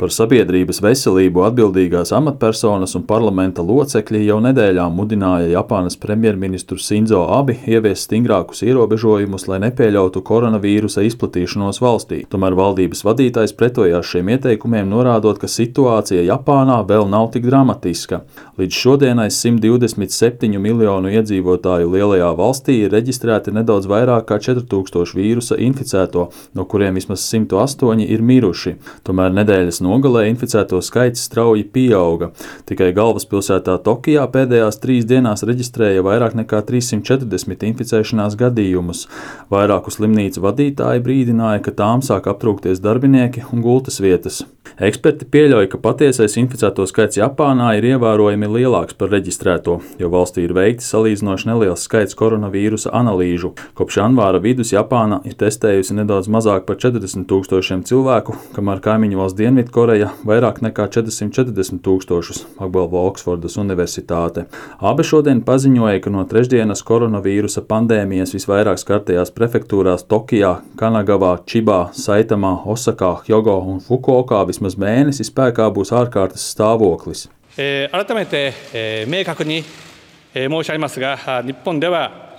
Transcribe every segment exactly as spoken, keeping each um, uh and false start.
Par sabiedrības veselību atbildīgās amatpersonas un parlamenta locekļi jau nedēļām mudināja Japānas premjerministru Sinzo Abe ieviest stingrākus ierobežojumus, lai nepieļautu koronavīrusa izplatīšanos valstī. Tomēr valdības vadītājs pretojās šiem ieteikumiem, norādot, ka situācija Japānā vēl nav tik dramatiska. Līdz šodienai simt divdesmit septiņu miljonu iedzīvotāju lielajā valstī ir reģistrēti nedaudz vairāk kā četri tūkstoši vīrusa inficēto, no kuriem vismaz simt astoņi ir miruši. Tomēr nedēļas nogalē inficēto skaits strauji pieauga. Tikai galvaspilsētā Tokijā pēdējās trīs dienās reģistrēja vairāk nekā trīssimt četrdesmit inficēšanās gadījumus. Vairāku slimnīcu vadītāji brīdināja, ka tām sāk aptrūkties darbinieki un gultas vietas. Eksperti pieļauj, ka patiesais inficēto skaits Japānā ir ievērojami lielāks par reģistrēto, jo valstī ir veikti salīdzinoši neliels skaits koronavīrusa analīžu. Kopš janvāra vidus Japāna ir testējusi nedaudz mazāk par četrdesmit tūkstošiem cilvēku, kamēr kaimiņu valsts Dienvidkoreja vairāk nekā četrsimt četrdesmit tūkstošus, apgalvo Oksfordas universitāte. Abe šodien paziņoja, ka no trešdienas koronavīrusa pandēmijas visvairāk skartajās prefektūrās Tokijā, Kanagavā, Čibā, Saitamā, Osakā, Hjogo un Fukuokā vismaz mēnesi spēkā būs ārkārtas stāvoklis.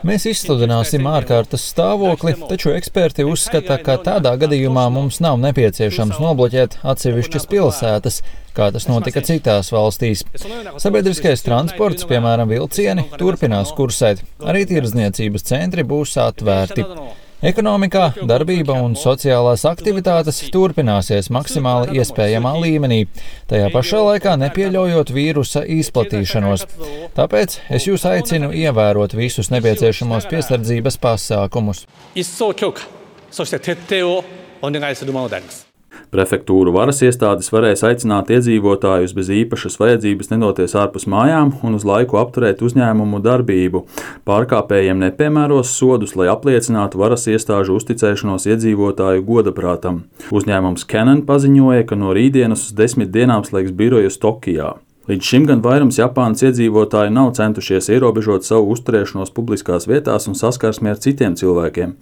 Mēs izsludināsim ārkārtas stāvokli, taču eksperti uzskata, ka tādā gadījumā mums nav nepieciešams nobloķēt atsevišķas pilsētas, kā tas notika citās valstīs. Sabiedriskais transports, piemēram vilcieni, turpinās kursēt, arī tirdzniecības centri būs atvērti. Ekonomikā darbība un sociālās aktivitātes turpināsies maksimāli iespējamā līmenī, tajā pašā laikā nepieļaujot vīrusa izplatīšanos. Tāpēc es jūs aicinu ievērot visus nepieciešamos piesardzības pasākumus. Prefektūru varas iestādes varēs aicināt iedzīvotājus bez īpašas vajadzības nedoties ārpus mājām un uz laiku apturēt uzņēmumu darbību. Pārkāpējiem nepiemēros sodus, lai apliecinātu varas iestāžu uzticēšanos iedzīvotāju godaprātam. Uzņēmums Canon paziņoja, ka no rītdienas uz desmit dienām slēgs birojus Tokijā. Līdz šim gan vairums Japānas iedzīvotāji nav centušies ierobežot savu uzturēšanos publiskās vietās un saskarsmi ar citiem cilvēkiem.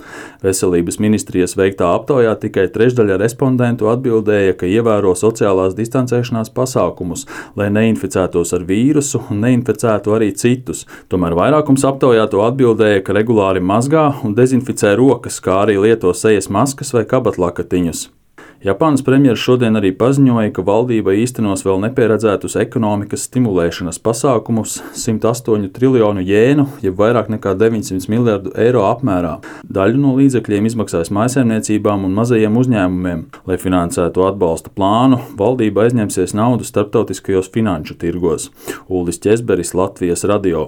Veselības ministrijas veiktā aptaujā tikai trešdaļa respondentu atbildēja, ka ievēro sociālās distancēšanās pasākumus, lai neinficētos ar vīrusu un neinficētu arī citus. Tomēr vairākums aptaujāto atbildēja, ka regulāri mazgā un dezinficē rokas, kā arī lieto sejas maskas vai kabatlakatiņus. Japānas premjeras šodien arī paziņoja, ka valdība īstenos vēl nepieredzētus ekonomikas stimulēšanas pasākumus simt astoņu triljonu jēnu, jeb vairāk nekā deviņsimt miljardu eiro apmērā. Daļu no līdzekļiem izmaksās mājsaimniecībām un mazajiem uzņēmumiem. Lai finansētu atbalsta plānu, valdība aizņemsies naudu starptautiskajos finanšu tirgos. Uldis Ķezberis, Latvijas radio.